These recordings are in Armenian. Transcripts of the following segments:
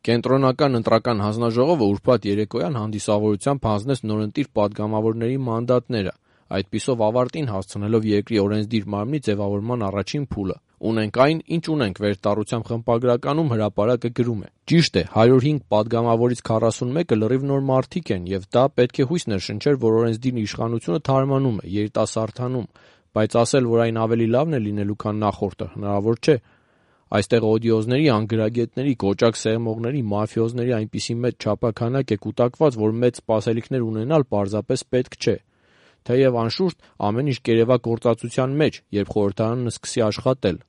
Կենտրոնական ընտրական հանձնաժողովը ուրբաթ երեկոյան հանդիսավորությամբ հանձնեց նորընտիր պատգամավորների մանդատները, այդպիսով ավարտին հասցնելով երկրի օրենսդիր մարմնի ձևավորման առաջին փուլը։ «Ունենք այն, ինչ ունենք» վերտառությամբ խմբագրականում հրապարակը գրում է. «Ճիշտ է, 105 պատգամավորից 41-ը լրիվ նոր մարդիկ են, եւ դա պետք է հույս ներշնչեր, որ օրենսդիր իշխանությունը թարմանում է, երիտասարդանում, բայց ասել, որ այն ավելի լավն է լինելու, քան նախորդը, հնարավոր չէ։ Այստեղ օդիոզների, անգրագետների, կոճակ սեղմողների, մաֆիոզների այնպիսի մեծ չափաքանակ է կուտակված, որ մեծ սպասելիքներ ունենալ պարզապես պետք չէ։ Թեև անշուշտ ամեն ինչ կերևա գործածության մեջ, երբ խորհրդարանն սկսի աշխատել։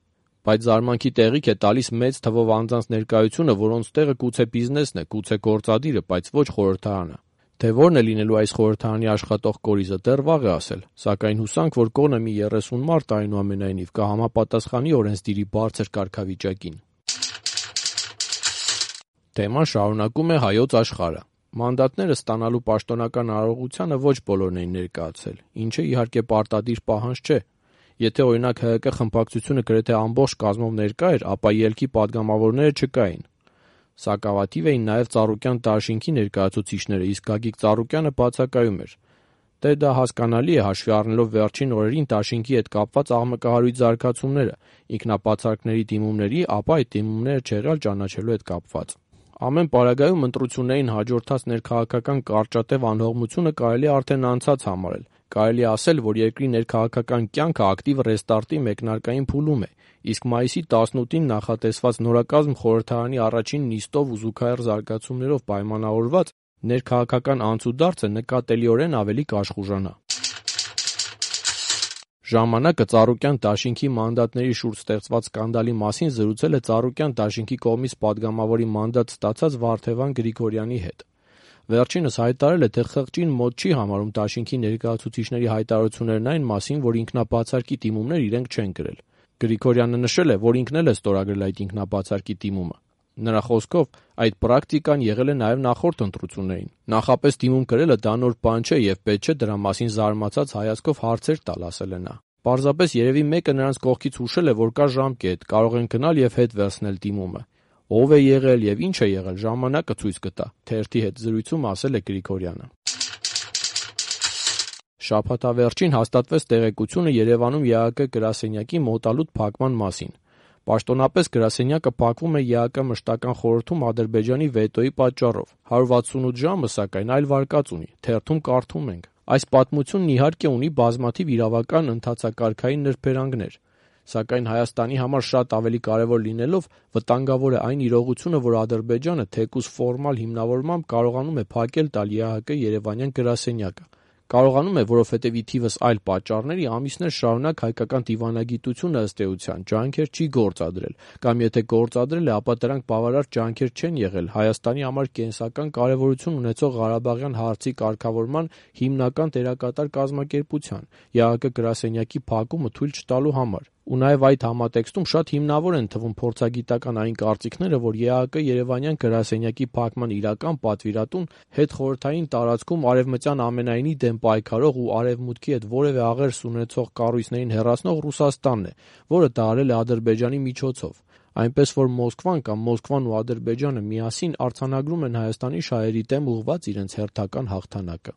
Բայց զարմանքի տեղիք է տալիս մեծ թվով անձանց ներկայությունը, որոնց տեղը գուցե բիզնեսն է, գուցե գործադիրը, բայց ոչ խորհրդարանը։ Թե որն է լինելու այս խորհրդարանի աշխատող կորիզը, դեռ վաղ է ասել, սակայն հուսանք, որ կոնը մի 30 մարդ այնուամենայնիվ կհամապատասխանի օրենսդիրի բարձր կարգավիճակին»։ Թեման շարունակում է Հայոց Աշխարհը։ Մանդատները ստանալու պաշտոնական արարողությանը ոչ բոլորն էին ներկայացել, ինչը իհարկե պարտադիր պահանջ չէ։ Եթե օրինակ ՀՀԿ խմբակցությունը գրեթե ամբողջ կազմով ներկա էր, ապա ելքի պատգամավորները չկային։ Սակավաթիվ էին նաև Ծառուկյան դաշինքի ներկայացուցիչները, իսկ Գագիկ Ծառուկյանը բացակայում էր։ Դե դա հասկանալի է, հաշվի առնելով վերջին օրերին դաշինքի հետ կապված աղմկահարույց զարգացումները, ինքնաբացարկների դիմումների, ապա այդ դիմումները չեղյալ ճանաչելու հետ կապված։ Ամեն պարագայում ընտրություններին հաջորդած ներքաղաքական կարճատև անհողմությունը կարելի է արդեն անցած համարել։ Կարելի է ասել, որ երկրի ներքաղաքական կյանքը ակտիվ ռեստարտի մեկնարկային փուլում է, իսկ մայիսի 18-ին նախատեսված նորակազմ խորհրդարանի առաջին նիստով ու զուգահեռ զարգացումներով պայմանավորված ներքաղաքական անցուդարձը նկատելիորեն ավելի կաշխուժանա։ Ժամանակը Ծառուկյան դաշինքի մանդատների շուրջ ստեղծված սկանդալի մասին զրուցել է Ծառուկյան դաշինքի կողմից պատգամավորի մանդատ ստացած Վարդևան Գրիգորյանի հետ։ Վերջինս հայտարարել է, թե խղճին մոտ չի համարում դաշինքի ներկայացուցիչների հայտարարություններն այն մասին, որ ինքնաբացարկի դիմումներ իրենք չեն գրել։ Գրիգորյանը նշել է, որ ինքն էլ է ստորագրել այդ ինքնաբացարկի դիմումը։ Նրա խոսքով, այդ պրակտիկան եղել է նաև նախորդ ընտրություններին։ Նախապես դիմում գրելը դա նոր բան չէ եւ պետք չէ դրա մասին զարմացած հայացքով հարցեր տալ, ասել է նա։ Պարզապես երևի մեկը նրանց կողքից հուշել է, որ կա ժամկետ, կարող են գնալ եւ հետ վերցնել դիմումը։ Ով է եղել եւ ինչ է եղել, ժամանակը ցույց կտա, թերթի հետ զրույցում ասել է Գրիգորյանը։ Շաբաթավերջին հաստատվեց տեղեկությունը Երևանում ԵԱՀԿ գրասենյակի մոտալուտ փակման մասին։ Պաշտոնապես գրասենյակը փակվում է ԵԱՀԿ մշտական խորհրդում Ադրբեջանի վետոյի պատճառով։ 168 ժամը, սակայն, այլ վարկած ունի։ Թերթում կարդում ենք. «Այս պատմությունն իհարկե ունի բազմաթիվ իրավական ընթացակարգային նրբերանգներ, սակայն Հայաստանի համար շատ ավելի կարևոր լինելով վտանգավոր է այն իրողությունը, որ Ադրբեջանը թեկուզ ֆորմալ հիմնավորմամբ կարողանում է փակել տալ ԵԱՀԿ երևանյան գրասենյակը։ Կարողանում է, որովհետև ի թիվս այլ պատճառների ամիսներ շարունակ հայկական դիվանագիտությունը ըստ էության ջանքեր չի գործադրել, կամ եթե գործադրել է, ապա դրանք բավարար ջանքեր չեն եղել Հայաստանի համար կենսական կարևորություն ունեցող Ղարաբաղյան հարցի կարգավորման հիմնական դերակատար կազմակերպության՝ ԵԱՀԿ գրասենյակի փակումը թույլ չտալու համար։ Ու նաև այդ համատեքստում շատ հիմնավոր են թվում փորձագիտական այն կարծիքները, որ ԵԱՀԿ երևանյան գրասենյակի փակման իրական պատվիրատուն հետխորհրդային տարածքում արևմտյան ամենայնի դեմ պայքարող ու արևմուտքի հետ որևէ աղերս ունեցող կառույցներին հեռացնող Ռուսաստանն է, որը դա արել է Ադրբեջանի միջոցով։ Այնպես որ Մոսկվան կամ Մոսկվան ու Ադրբեջանը միասին արձանագրում են Հայաստանի շահերի դեմ ուղղված իրենց հերթական հաղթանակը»։